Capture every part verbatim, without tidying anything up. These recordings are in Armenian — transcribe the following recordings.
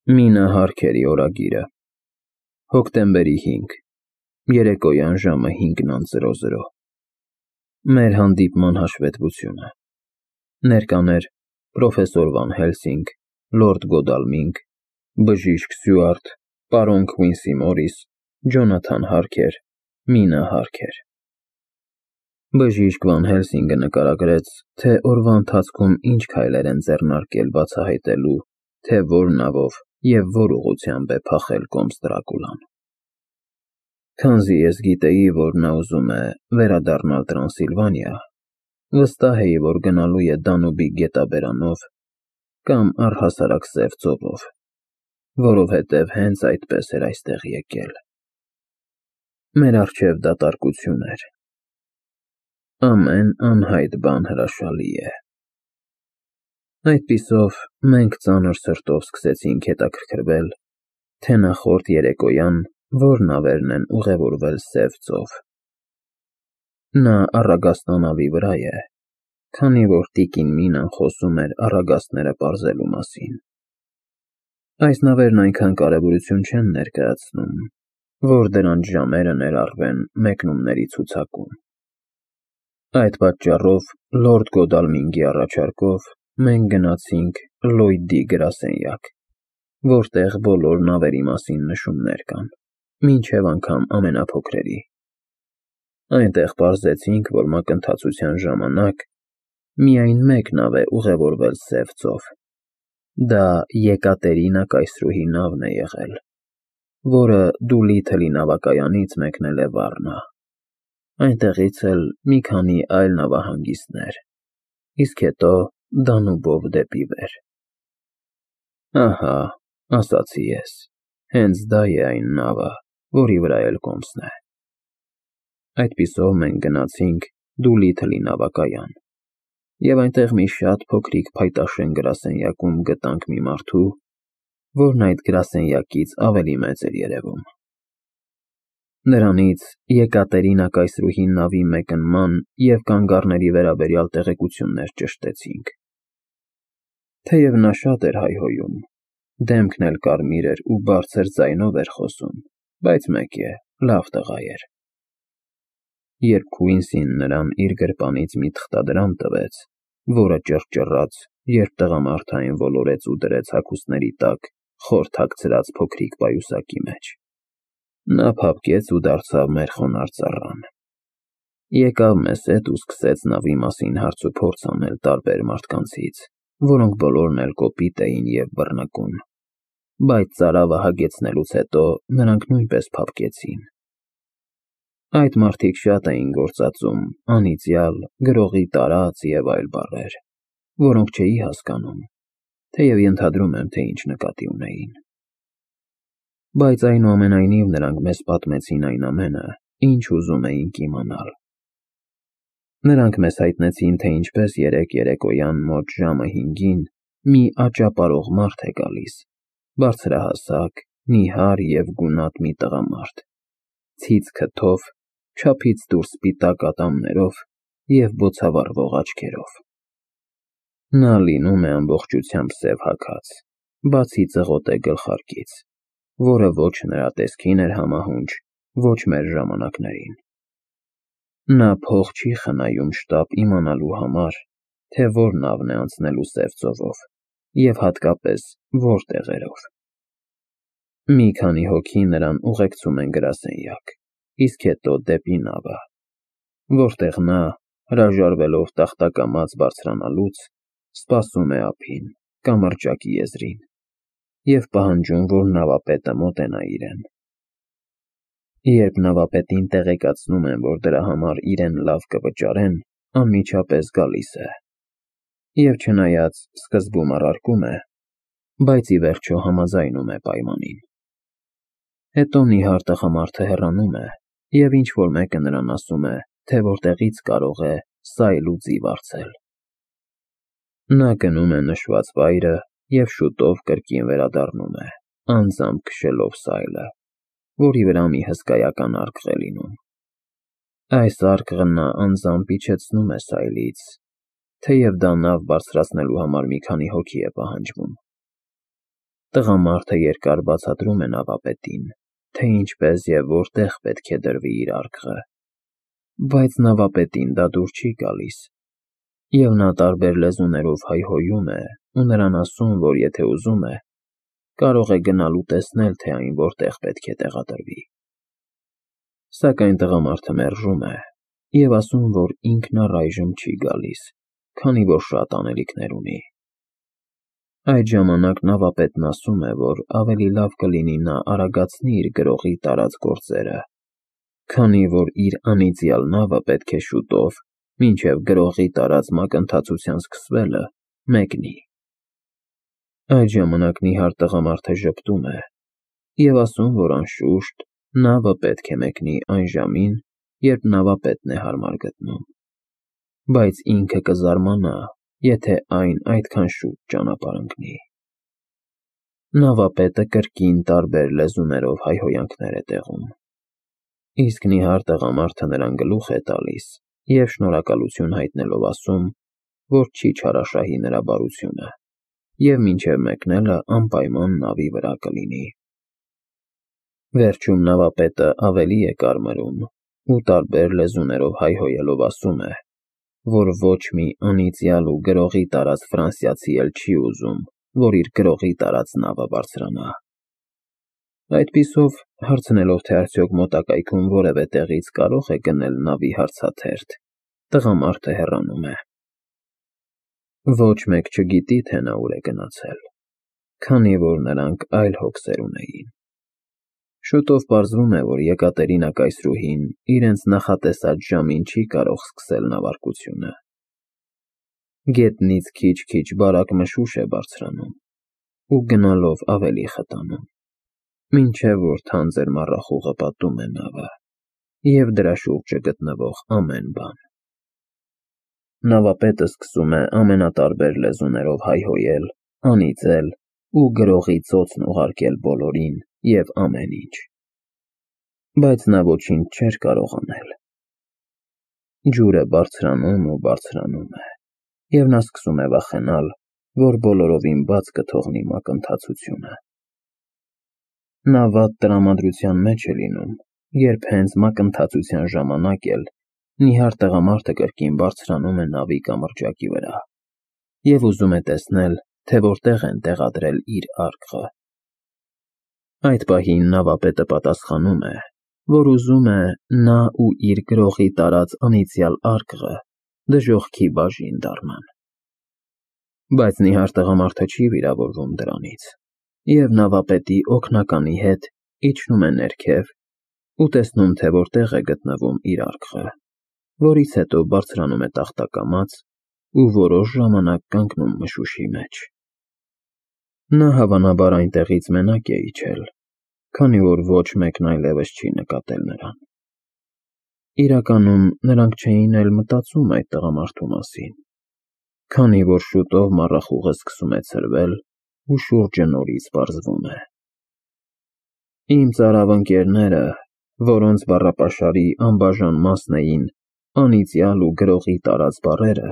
Մինը Հարքերի օրագիրը, հոկտեմբերի հինգ, երեկոյան ժամը հինգ. Մեր հանդիպման հաշվետվությունը։ Ներկաներ պրոֆեսոր Վան Հելսինգ, լորդ Գոդալմինգ, բժիշկ Սյուարտ, պարոն Քվինսի Մորիս, Ջոնաթան Հարքեր, Մինա Հարքեր։ Բժիշկ Վան Հելսինգը նկարագրեց, թե օրվա ընթացքում ինչ քայլեր են ձեռնարկել բացահայտելու, թե որ նավով և որ ուղղությամբ է փախել կոմս Դրակուլան։ Քանզի ես գիտեի, որ նա ուզում է վերադառնալ Տրանսիլվանիա, վստահ էի, որ գնալու է Դանուբի գետաբերանով կամ առհասարակ Սև ծովով, որովհետև հենց այդպես էր այստեղ եկել։ Մեր առջև դատարկություն էր։ Ամեն անհայտ բան հրաշալի է։ Այդպիսով մենք ծանր սրտով սկսեցինք հետաքրքրվել, թե նախորդ երեկոյան որ նավերն են ուղևորվել Սև ծով։ Նա առագաստանավի վրա է, քանի որ տիկին Մինան խոսում էր առագաստները պարզելու մասին։ Այս նավերն այնքան կարևորություն չեն ներկայացնում, որ դրանց ժամերը ներառվեն մեկնումների ցուցակում։ Այդ պատճառով լորդ Գոդալմինգի առաջարկով մենք գնացինք Լլոյդի գրասենյակ, որտեղ բոլոր նավերի մասին նշումներ կան, մինչև անգամ ամենափոքրերի։ Այնտեղ պարզեցինք, որ մակընթացության ժամանակ միայն մեկ նավ է ուղևորվել Սև ծով։ Դա Եկատերինա կայսրուհի նավն է եղել, որը Դուլիթլի նավակայանից մեկնել է Վառնա, այնտեղից էլ մի քանի այլ նավահանգիստներ, իսկ հետո Դանուբով դեպի վեր։ Ահա, ասացի ես, հենց դա է այն նավը, որի վրա էլ կոմսն է։ Այդպիսով մենք գնացինք Դուլիթլի նավակայան, և այնտեղ մի շատ փոքրիկ փայտաշեն գրասենյակում գտանք մի մարդու, որն այդ գրասենյակից ավելի մեծ էր երևում։ Նրանից Եկատերինա կայսրուհի նավի մեկնման և կանգառների վերաբերյալ տեղեկություններ ճշտեցինք։ Թեև նա շատ էր հայհոյում, դեմքն էլ կարմիր էր ու բարձր ձայնով էր խոսում, բայց մեկ է, լավ տղա էր։ Երբ Քվինսին նրան իր գրպանից մի թղթադրամ տվեց, որը ճռճռաց, երբ տղամարդային ոլորեց ու դրեց հագուստների տակ խոր թաքցրած փոքրիկ պայուսակի մեջ, նա փափկեց ու դարձավ մեր խոնարհ ծառան։ Եկավ մեզ հետ ու սկսեց նավի մասին հարց ու փորձ անել տարբեր մարդկանցից, որոնք բոլորն էլ կոպիտ էին և բռնկուն, բայց ծարավը հագեցնելուց հետո նրանք նույնպես փափկեցին։ Այդ մարդիկ շատ էին գործածում անիծյալ, գրողի տարած և այլ բառեր, որոնք չէի հասկանում, թեև ենթադրում եմ, թե ինչ նկատի ունեին։ Բայց այնուամենայնիվ նրանք մեզ պատմեցին այն ամենը, ինչ ուզում էինք իմանալ։ Նրանք մեզ հայտնեցին, թե ինչպես երեկ երեկոյան մոտ ժամը հինգին մի աճապարող մարդ է գալիս, բարձրահասակ, նիհար և գունատ մի տղամարդ, ցից քթով, չափից դուրս սպիտակ ատամներով և բոցավառվող աչքերով։ Նա լինում է ամբողջությամբ սև հագած, բացի ծղոտե գլխարկից, որը ոչ նրա տեսքին էր համահունչ, ոչ մեր ժամանակներին։ Նա փող չի խնայում շտապ իմանալու համար, թե որ նավն է անցնելու Սև ծովով և հատկապես որ տեղերով։ Մի քանի հոգի նրան ուղեկցում են գրասենյակ, իսկ հետո դեպի նավը, որտեղ նա, հրաժարվելով տախտակամած բարձրանալուց, սպասում է ափին, կամրջակի եզրին, և պահանջում, որ նավապետը մոտենա իրեն։ Երբ նավապետին տեղեկացնում են, որ դրա համար իրեն լավ կվճարեն, անմիջապես գալիս է, և չնայած սկզբում առարկում է, բայց ի վերջո համաձայնում է պայմանին։ Հետո նիհար տղամարդը հեռանում է, և ինչ֊որ մեկը նրան ասում է, թե որտեղից կարող է սայլ ու ձի վարձել։ Նա գնում է նշված վայրը և շուտով կրկին վերադառնում է, անձամբ քշելով սայլը, որի վրա մի հսկայական արկղ է լինում։ Այս արկղը նա անձամբ իջեցնում է սայլից, թեև դա նավ բարձրացնելու համար մի քանի հոգի է պահանջվում։ Տղամարդը երկար բացատրում է նավապետին, թե ինչպես և որտեղ պետք է դրվի իր արկղը, բայց նավապետին դա դուր չի գալիս, և նա տարբեր լեզուներով հայհոյում է ու նրան ասում, որ եթե ուզում է, կարող է գնալ ու տեսնել, թե այն որտեղ պետք է տեղադրվի։ Սակայն տղամարդը մերժում է և ասում, որ ինքն առայժմ չի գալիս, քանի որ շատ անելիքներ ունի։ Այդ ժամանակ նավապետն ասում է, որ ավելի լավ կլինի նա արագացնի իր գրողի տարած գործերը, քանի որ իր անիծյալ նավը պետք է շուտով, մինչև գրողի տարած մակընթացության սկսվելը, մեկնի։ Այդ ժամանակ նիհար տղամարդը ժպտում է և ասում, որ անշուշտ նավը պետք է մեկնի այն ժամին, երբ նավապետն է հարմար գտնում, բայց ինքը կզարմանա, եթե այն այդքան շուտ ճանապարհ ընկնի։ Նավապետը կրկին տարբեր լեզուներով հայհոյանքներ է տեղում, իսկ նիհար տղամարդը նրան գլուխ է տալիս և շնորհակալություն հայտնելով ասում, որ չի չարաշահի նրա բարությունը և մինչև մեկնելը անպայման նավի վրա կլինի։ Վերջում նավապետը ավելի է կարմրում ու տարբեր լեզուներով հայհոյելով ասում է, որ ոչ մի անիծյալ ու գրողի տարած ֆրանսիացի էլ չի ուզում, որ իր գրողի տարած նավը բարձրանա։ Այդպիսով, հարցնելով, թե արդյոք մոտակայքում որևէ տեղից կարող է գնել նավի հարցաթերթ, տղամարդը հեռանում է։ Ոչ մեկ չգիտի, թե նա ուր է գնացել, քանի որ նրանք այլ հոգսեր ունեին։ Շուտով պարզվում է, որ Եկատերինա կայսրուհին իրենց նախատեսած ժամին չի կարող սկսել նավարկությունը։ Գետնից քիչ-քիչ բարակ մշուշ է բարձրանում ու գնալով ավելի խտանում, մինչև որ թանձր մառախուղը պատում է նավը և դրա շուրջը գտնվող ամեն բան։ Նավապետը սկսում է ամենատարբեր լեզուներով հայհոյել, անիծել ու գրողի ծոցն ուղարկել բոլորին և ամեն ինչ, բայց նա ոչինչ չէր կարող անել։ Ջուրը բարձրանում ու բարձրանում է, և նա սկսում է վախենալ, որ բոլորովին բաց կթողնի մակընթացությունը։ Նա վատ տրամադրության մեջ է լինում, երբ հենց մակընթացության ժամանակ էլ նիհար տղամարդը կրկին բարձրանում է նավի կամրջակի վրա և ուզում է տեսնել, թե որտեղ են տեղադրել իր արկղը։ Այդ պահին նավապետը պատասխանում է, որ ուզում է նա ու իր գրողի տարած անիծյալ արկղը դժոխքի բաժին դառնան։ Բայց նիհար տղամարդը չի վիրավորվում դրանից, և նավապետի օգնականի հետ իջնում է ներքև ու տեսնում, թե որտեղ է գտնվում իր արկղը, որից հետո բարձրանում է տախտակամած ու որոշ ժամանակ կանգնում մշուշի մեջ։ Նա հավանաբար այնտեղից մենակ է իջել, քանի որ ոչ մեկն այլևս չի նկատել նրան։ Իրականում նրանք չէին էլ մտածում այդ տղամարդու մասին, քանի որ շուտով մառախուղը սկսում է ցրվել ու շուրջը նորից պարզվում է։ Իմ ծարավ ընկերները, որոնց բառապաշարի անբաժան մասն էին անիծյալ ու գրողի տարած բառերը,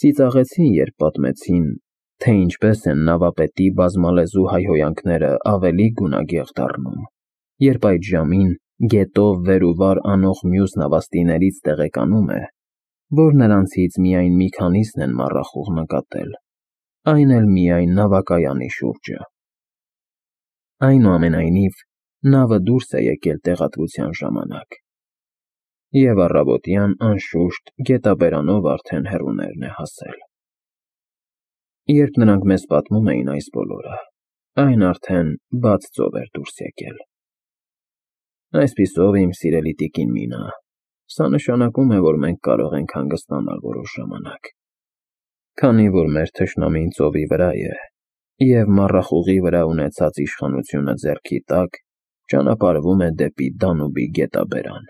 ծիծաղեցին, երբ պատմեցին, թե ինչպես են նավապետի բազմալեզու հայհոյանքները ավելի գունագեղ դառնում, երբ այդ ժամին գետով վեր ու վար անող մյուս նավաստիներից տեղեկանում է, որ նրանցից միայն մի քանիսն են մառախուղ նկատել, այն էլ միայն նավակայանի շուրջը։ Այնուամենայնիվ, նավը դուրս է եկել տեղադրության ժամանակ, և առավոտյան, անշուշտ, գետաբերանով արդեն հեռուներն է հասել։ Երբ նրանք մեզ պատմում էին այս բոլորը, այն արդեն բաց ծով էր դուրս եկել։ Այսպիսով, իմ սիրելի տիկին Մինա, սա նշանակում է, որ մենք կարող ենք հանգստանալ որոշ ժամանակ, քանի որ մեր թշնամին ծովի վրա է, և մառախուղի վրա ունեցած իշխանությունը ձեռքի տակ ճանապարհվում է դեպի Դանուբի գետաբերան։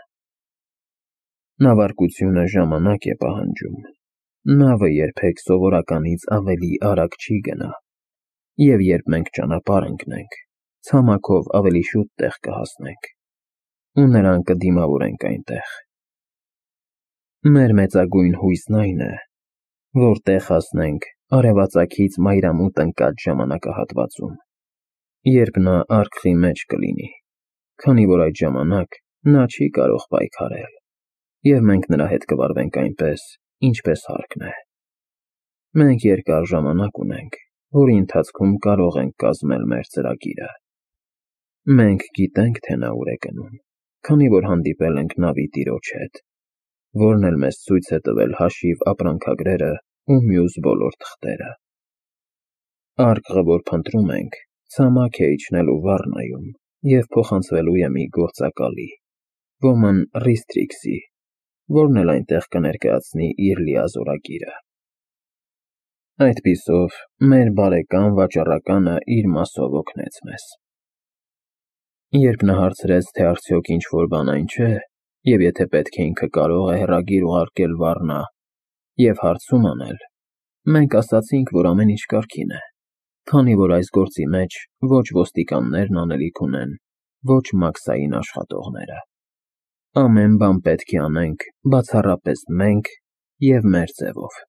Նավարկությունը ժամանակ է պահանջում, նավը երբեք սովորականից ավելի արագ չի գնա, և երբ մենք ճանապարհ ընկնենք, ցամաքով ավելի շուտ տեղ կհասնենք, ու նրան կդիմավորենք այնտեղ։ Մեր մեծագույն հույսն այն է, որ տեղ հասնենք արևածագից մայրամուտ ընկած ժամանակահատվածում։ երբ նա արկղի մեջ կլինի, քանի որ այդ ժամանակ նա չի կարող պայքարել, և մենք նրա հետ կվարվենք այնպես, ինչպես հարկն է։ Մենք երկար ժամանակ ունենք, որի ընթացքում կարող ենք կազմել մեր ծրագիրը։ Մենք գիտենք, թե նա ուր է գնում, քանի որ հանդիպել ենք նավի տիրոջ հետ, որն էլ մեզ ցույց է տվել հաշիվ ապրանքագրերը ու մյուս բոլոր թղթերը։ Արկղը, որ փնտրում ենք, ցամաք է իջնելու Վառնայում և փոխանցվելու է մի գործակալի, ոմն Ռիստրիքսի, որն էլ այնտեղ կներկայացնի իր լիազորագիրը։ Այդպիսով մեր բարեկամ վաճառականը իր մասով օգնեց մեզ։ Երբ նա հարցրեց, թե արդյոք ինչ-որ բան այն չէ, և եթե պետք է ինքը կարող է հեռագիր ուղարկել Վառնա և հարցում անել, մենք ասացինք, որ ամեն ինչ կարգին է, քանի որ այս գործի մեջ ոչ ոստիկաններն անելիք ունեն, ոչ մաքսային աշխատողները։ Ամեն բան պետք է անենք բացառապես մենք և մեր ձևով։